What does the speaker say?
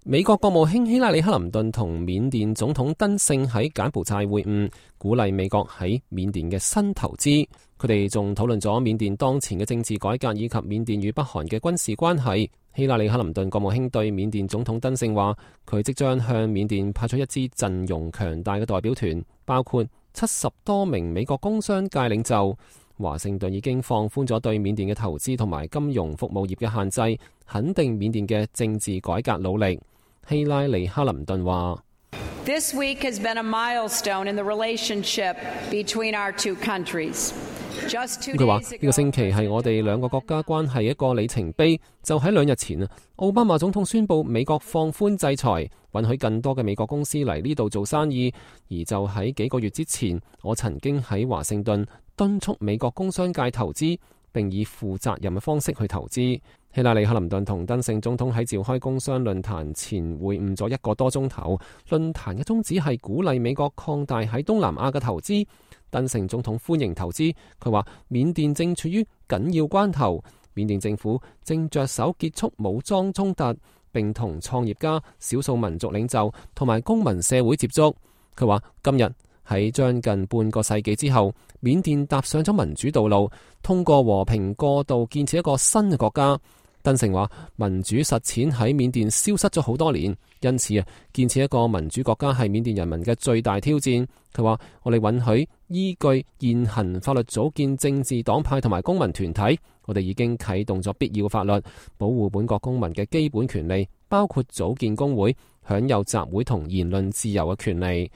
美國國務卿希拉里克林頓同緬甸總統登盛喺柬埔寨會晤，鼓勵美國喺緬甸嘅新投資。佢哋仲討論咗緬甸當前嘅政治改革以及緬甸與北韓嘅軍事關係。希拉里克林頓國務卿對緬甸總統登盛話，佢即將向緬甸派出一支陣容強大嘅代表團，包括70多名美國工商界領袖。華盛頓已經放寬咗對緬甸嘅投資同埋金融服務業嘅限制，肯定緬甸嘅政治改革努力。希拉里克林頓話：This week has been a milestone in the relationship between our two countries. 佢話呢個星期係我哋兩個國家關係一個里程碑。就喺2日前啊，奧巴馬總統宣布美國放寬制裁，允許更多嘅美國公司嚟呢度做生意。而就喺幾個月之前，我曾經喺華盛頓敦促美國工商界投資，並以負責任嘅方式去投資。希拉里克林頓同登盛總統喺召開工商論壇前會晤咗1個多鐘頭。論壇嘅宗旨係鼓勵美國擴大喺東南亞嘅投資。登盛總統歡迎投資，佢話緬甸正處於緊要關頭，緬甸政府正着手結束武裝衝突，並同創業家、少數民族領袖同埋公民社會接觸。佢話今日喺將近半個世紀之後，緬甸踏上咗民主道路，通過和平過渡建設一個新嘅國家。登盛話民主實踐喺緬甸消失咗好多年，因此建設一個民主國家係緬甸人民嘅最大挑戰。佢話我哋允許依據現行法律組建政治黨派同埋公民團體，我哋已經啟動咗必要法律，保護本國公民嘅基本權利，包括組建工會、享有集會同言論自由嘅權利。